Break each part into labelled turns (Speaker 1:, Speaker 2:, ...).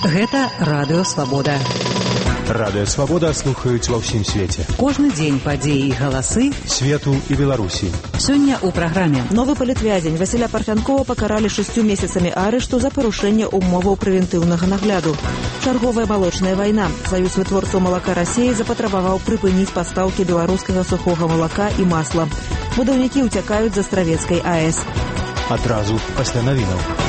Speaker 1: Гэта Радыё Свабода.
Speaker 2: Радыё Свабода слухаюць ва ўсім свеце.
Speaker 1: Кожны дзень падзеі і галасы
Speaker 2: свету і Беларусі.
Speaker 1: Сёння ў праграме.
Speaker 3: Новы палітвязень Васіля Парфянкова пакаралі 6 месяцамі арышту за парушэнне умоваў прэвентыўнага нагляду. Чарговая малочная вайна. Саюз вытворцаў малака Расіі запатрабаваў прыпыніць пастаўкі беларускага сухога малака і масла. Будаўнікі ўцякаюць з Астравецкай АЭС.
Speaker 2: Адразу пасля навінаў.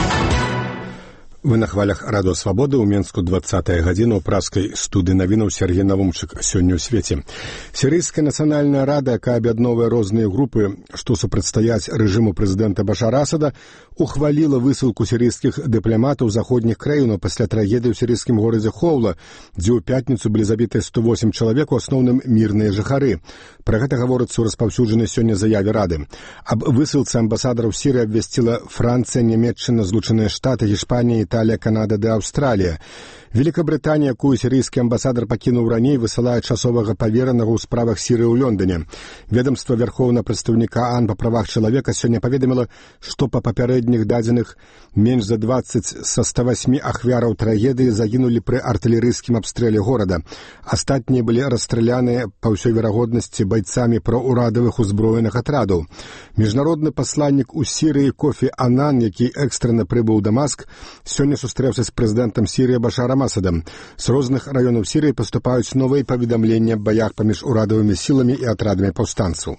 Speaker 4: Вы на хвалях Радыё Свабоды ў Менску 20-я гадзіна ў праскай студыі навінаў Сергей Навумчык сёння ў свеце. Сірыйская нацыянальная рада, якая аб'ядноўвае розныя групы, што супрацьстаяць рэжыму прэзідэнта Башара Асада, ухваліла высылку сірыйскіх дыпламатаў заходніх краінаў пасля трагедыі ў сірыйскім горадзе Хоўла, дзе ў пятніцу былі забітыя 108 чалавек, у асноўным мірныя жыхары. Пра гэта гаворыцца ў распаўсюджанай сёння заяве рады. Аб высылцы амбасадараў Сірыі абвясціла Францыя, Нямецчына, Злучаныя Штаты, Гішпанія, Італія, Канада ды Аўстралія. Великабрытанія, якую сірыйскі амбасадар пакінуў раней, высылае часовага паверанага ў справах Сірыі ў Лондоне. Ведомства вярхоўнага прадстаўніка ААН па правах чалавека сёння паведаміла, што па папярэдніх дадзеных менш за 20 са 108 ахвяраў трагедыі загінулі пры артылерыйскім абстрэле горада. Астатнія былі расстраляныя па ўсёй верагоднасці байцамі праўрадавых узброеных атрадаў. Міжнародны пасланнік у Сірыі Кофі Анан, які экстрана прыбыў у Дамаск, сёння сустрэўся з прэзідэнтам Сірыі Башарам Асадам. З розных раёнаў Сірыі паступаюць новыя паведамленні аб баях паміж урадавымі сіламі і атрадамі паўстанцаў.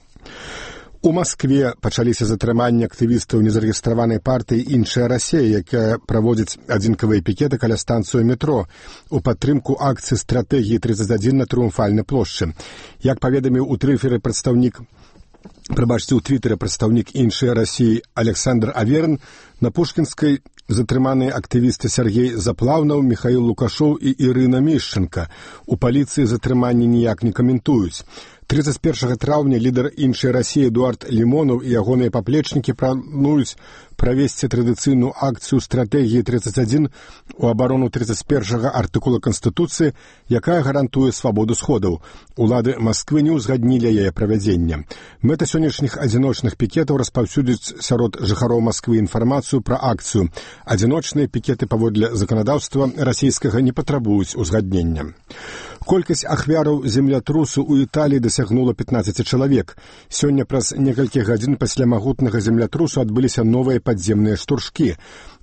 Speaker 4: У Маскве пачаліся затрыманні актывістаў незарэгістраванай партыі «Іншая Расія», якая праводзіць адзінкавыя пікеты каля станцыю метро у падтрымку акцыі стратэгіі 31 на Трыумфальнай плошчы. Як паведаміў у Твітары прадстаўнік «Іншай Расіі» Александр Аверн, на Пушкінскай затрыманыя актывісты Сергей Заплаўнаў, Михаил Лукашоў і Ірына Мішченка. У паліцыі затрыманні ніяк не каментуюць. 31 траўня лідар «Іншай Расіі» Эдуард Лімонаў і ягоныя паплечнікі плануюць правесці традыцыйную акцыю стратэгіі 31 у абарону 31 артыкула Канстытуцыі, якая гарантуе свабоду сходаў. Улады Масквы не ўзгаднілі яе правядзення. Мэта сённяшніх адзіночных пікетаў распаўсюдзіць сярод жыхароў Масквы інфармацыю пра акцыю. Адзіночныя пікеты паводле заканадаўства расійскага не патрабуюць узгаднення. Колькасць ахвяраў землятрусу ў Італіі дасягнула 15 чалавек. Сёння праз некалькі гадзін пасля магутнага землятрусу адбыліся новыя падземныя штуршкі.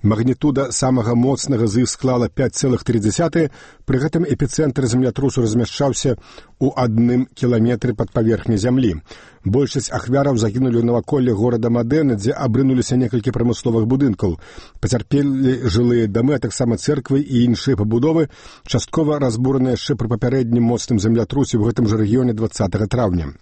Speaker 4: Магнітуда самага моцнага з іх склала 5,3, пры гэтым эпіцэнтр землятрусу размяшчаўся ў 1 кіламетры пад паверхняй зямлі. Большасць ахвяраў загінулі ў наваколлі горада Мадэна, дзе абрынуліся некалькі прамысловых будынкаў. Пацярпелі жылыя дамы, а таксама цэрквы і іншыя пабудовы, часткова разбураныя яшчэ пры папярэднім моцным землятрусе ў гэтым жа рэгіёне 20 траўня.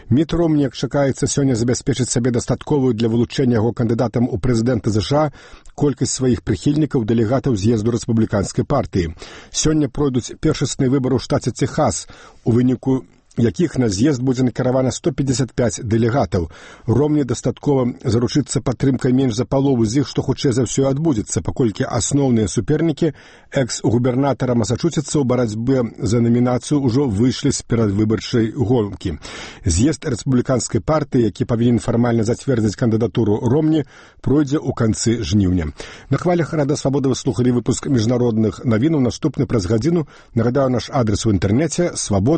Speaker 4: Міт Ромні, як чакаецца, сёння забяспечыць сабе дастатковую для вылучэння яго кандыдатам у прэзідэнта США колькасць сваіх прыхільнікаў дэлегатаў з'езду рэспубліканскай партыі. Сёння пройдуць першасныя выбары ў штаце Тэхас, у выніку якіх на з'езд будзе накіравана 155 дэлегатаў. Ромні дастаткова заручыцца падтрымкай менш за палову з іх, што хутчэй за ўсё адбудзецца, паколькі асноўныя супернікі экс-губернатара Масачусетса ў барацьбе за намінацыю ўжо выйшлі з перадвыбарчай гонкі. З'езд рэспубліканскай партыі, які павінен фармальна зацвердзіць кандыдатуру Ромні, пройдзе ў канцы жніўня. На хвалях Радыё Свабода вы слухалі выпуск міжнародных навінаў, наступны праз гадзіну. Нагадаю, наш адрес у інтэрнэце свабода.